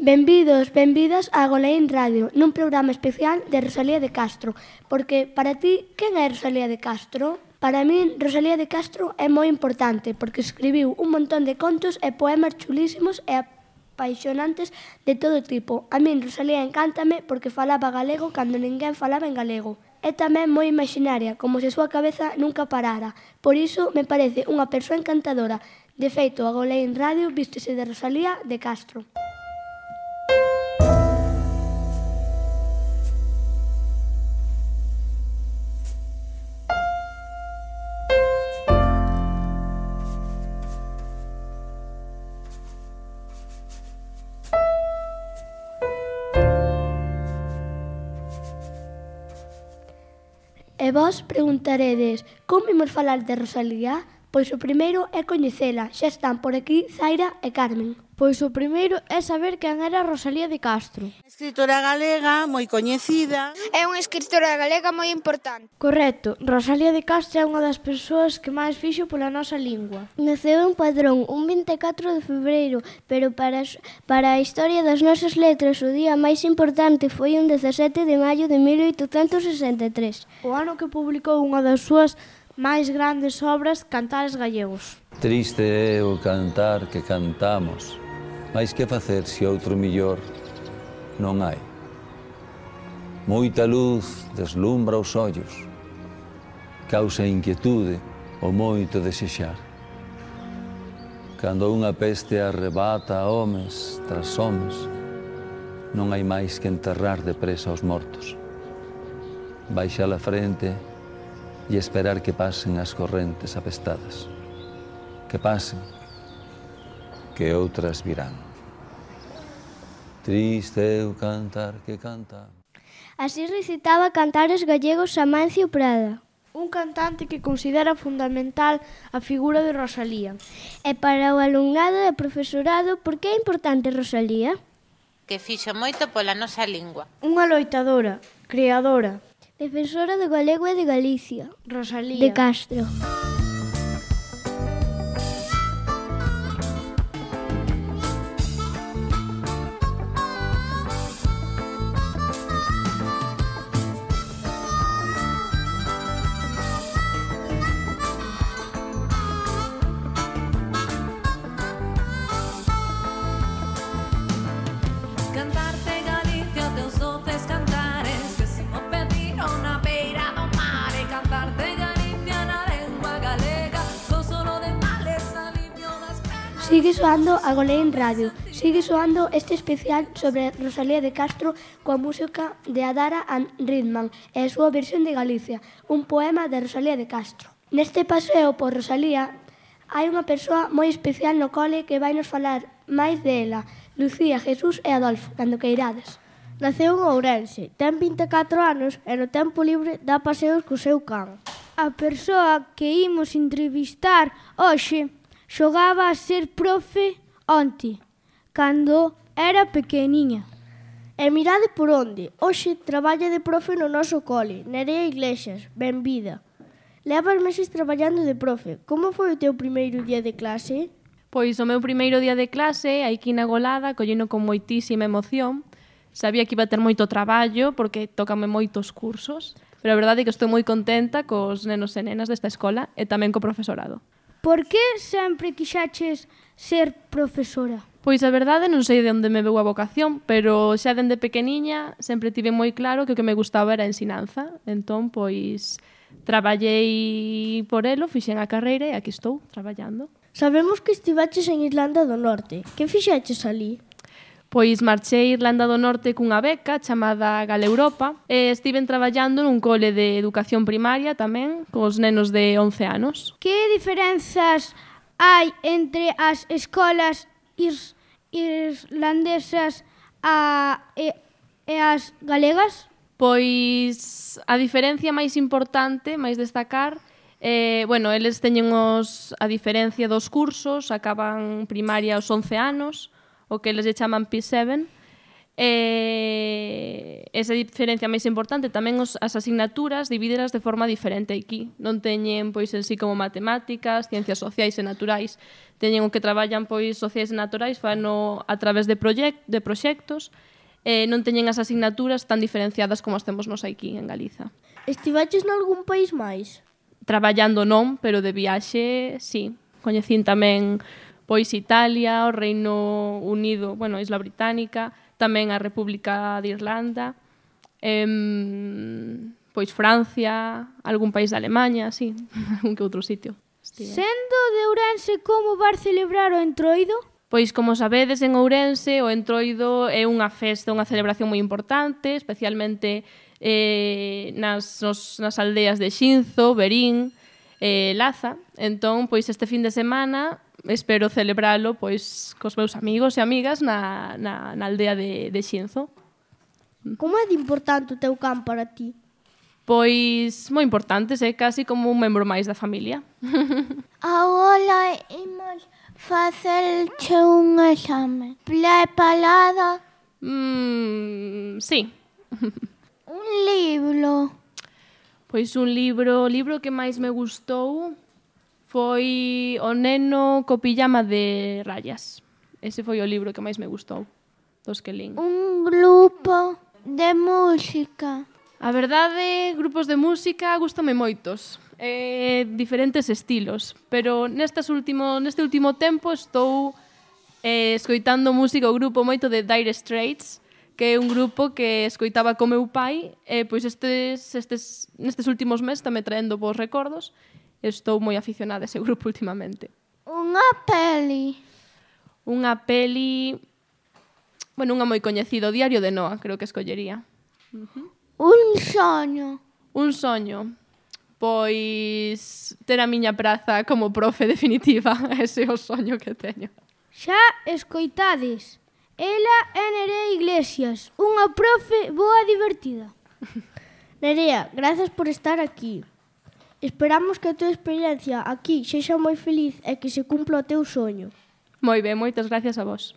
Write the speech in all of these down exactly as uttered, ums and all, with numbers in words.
Benvidos, benvidas a Goleín Radio, nun programa especial de Rosalía de Castro. Porque, para ti, quen é Rosalía de Castro? Para min, Rosalía de Castro é moi importante, porque escribiu un montón de contos e poemas chulísimos e apaixonantes de todo tipo. A min, Rosalía, encántame porque falaba galego cando ninguén falaba en galego. É tamén moi imaginaria, como se a súa cabeza nunca parara. Por iso, me parece unha persoa encantadora. De feito, a Goleín Radio vístese de Rosalía de Castro. E vós preguntaredes, como imos falar de Rosalía? Pois o primeiro é coñecela, xa están por aquí Zaira e Carmen. Pois o primeiro é saber quen era Rosalía de Castro. Escritora galega moi coñecida. É unha escritora galega moi importante. Correcto, Rosalía de Castro é unha das persoas que máis fixo pola nosa lingua. Naceu en Padrón un vinte e catro de febreiro, pero para, para a historia das nosas letras o día máis importante foi un dezasete de maio de mil oitocentos sesenta e tres. O ano que publicou unha das súas máis grandes obras, Cantares Gallegos. Triste é o cantar que cantamos, mais que facer se outro millor non hai. Moita luz deslumbra os ollos, causa inquietude o moito desexar. Cando unha peste arrebata a homes tras homes, non hai máis que enterrar depresa os mortos. Baixar a frente e esperar que pasen as correntes apestadas. Que pasen, que outras virán. Triste é o cantar que canta. Así recitaba Cantares Gallegos Amancio Prada. Un cantante que considera fundamental a figura de Rosalía. E para o alumnado e profesorado, por que é importante Rosalía? Que fixo moito pola nosa lingua. Unha loitadora, creadora, defensora do galego e de Galicia. Rosalía de Castro. Sigue soando a Goleín Radio, sigue soando este especial sobre Rosalía de Castro coa música de Adara and Ridman e a súa versión de Galicia, un poema de Rosalía de Castro. Neste paseo por Rosalía hai unha persoa moi especial no cole que vai nos falar máis dela, Lucía, Jesús e Adolfo, cando queirades. Naceu en Ourense, ten vinte e catro anos e no tempo libre dá paseos co seu can. A persoa que imos entrevistar hoxe xogaba a ser profe onte, cando era pequeniña. E mirade por onde, hoxe traballa de profe no noso cole, Nerea Iglesias, benvida. Levas meses traballando de profe, como foi o teu primeiro día de clase? Pois o meu primeiro día de clase, aquí na Golada, collino con moitísima emoción. Sabía que iba a ter moito traballo, porque tócame moitos cursos, pero a verdade é que estou moi contenta cos nenos e nenas desta escola e tamén co profesorado. Por que sempre quixaches ser profesora? Pois a verdade non sei de onde me veu a vocación, pero xa dende pequeniña sempre tive moi claro que o que me gustaba era a ensinanza. Entón, pois, traballei por elo, fixen a carreira e aquí estou, traballando. Sabemos que estivaches en Irlanda do Norte. Que fixaches ali? Pois marchei a Irlanda do Norte cunha beca chamada Galeuropa e estiven traballando nun cole de educación primaria tamén, cos nenos de once anos. Que diferenzas hai entre as escolas is, irlandesas a, e, e as galegas? Pois a diferencia máis importante, máis destacar, eh, bueno, eles teñen os, a diferencia dos cursos, acaban primaria aos once anos, o que eles lle chaman P sete, E esa diferencia máis importante tamén os, as asignaturas divídelas de forma diferente aquí. Non teñen pois en sí como matemáticas, ciencias sociais e naturais. Teñen o que traballan pois sociais e naturais fano a través de, proxect, de proxectos. E non teñen as asignaturas tan diferenciadas como as temos nos aquí en Galiza. Estivaches nalgún país máis? Traballando non, pero de viaxe, sí. Coñecín tamén pois Italia, o Reino Unido, bueno, Isla Británica, tamén a República de Irlanda, em, pois Francia, algún país de Alemanha, sí, algún que outro sitio. Estive. Sendo de Ourense, como vas celebrar o Entroido? Pois, como sabedes, en Ourense o Entroido é unha festa, unha celebración moi importante, especialmente eh, nas, nos, nas aldeas de Xinzo, Verín, eh, Laza. Entón, pois este fin de semana espero celebralo pois cos meus amigos e amigas na, na, na aldea de, de Xinzo. Como é de importante o teu can para ti? Pois moi importante, é casi como un membro máis da familia. Agora imos facerche un exame. Preparada? Mm, sí. Un libro. Pois un libro, o libro que máis me gustou foi O neno co pijama de rayas. Ese foi o libro que máis me gustou dos que lín. Un grupo de música. A verdade, grupos de música gústame moitos. Eh, diferentes estilos. Pero nestas último, neste último tempo estou eh, escoitando música o grupo moito de Dire Straits, que é un grupo que escoitaba co meu pai, e pois estes, estes, nestes últimos meses está me traendo bons recordos. Estou moi aficionada a ese grupo últimamente. Unha peli. Unha peli... Bueno, unha moi coñecida, O diario de Noa, creo que escollería. Uh-huh. Un soño. Un soño. Pois ter a miña praza como profe definitiva. Ese é o soño que teño. Xa escoitades. Ela é Nerea Iglesias, unha profe boa e divertida. Nerea, grazas por estar aquí. Esperamos que a tua experiencia aquí sexa moi feliz e que se cumpla o teu soño. Moi ben, moitas gracias a vos.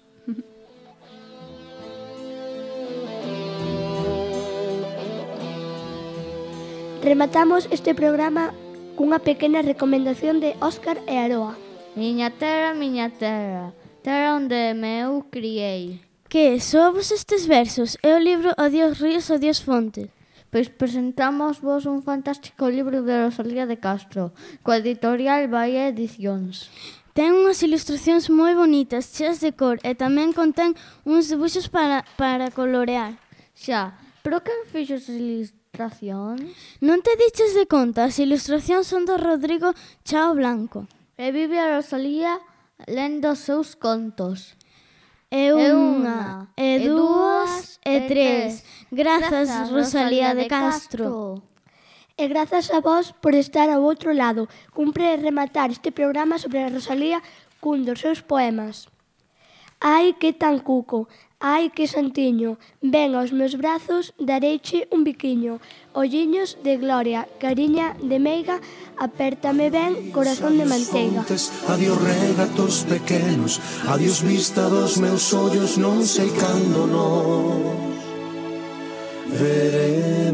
Rematamos este programa cunha pequena recomendación de Óscar e Aroa. Miña terra, miña terra, terra onde me eu criei. Que, soavos estes versos? É o libro Adiós ríos, adiós fonte. Pois presentamos vos un fantástico libro de Rosalía de Castro, coa editorial Bahía Edicións. Ten unhas ilustracións moi bonitas, cheas de cor, e tamén contén uns debuxos para, para colorear. Xa, pero quen fixo as ilustracións? Non te diches de conta, as ilustracións son do Rodrigo Chao Blanco. E vive a Rosalía lendo os seus contos. E unha, e dúas, e tres. Grazas, Rosalía de Castro. E grazas a vos por estar ao outro lado. Cumpre rematar este programa sobre a Rosalía cun dos seus poemas. Ai, que tan cuco, ai, que santiño, ven aos meus brazos, dareiche un biquiño. Olliños de gloria, cariña de meiga, apértame ben, corazón de manteiga. Adiós regatos pequenos, adiós vista dos meus ollos, non sei cando nos veremos.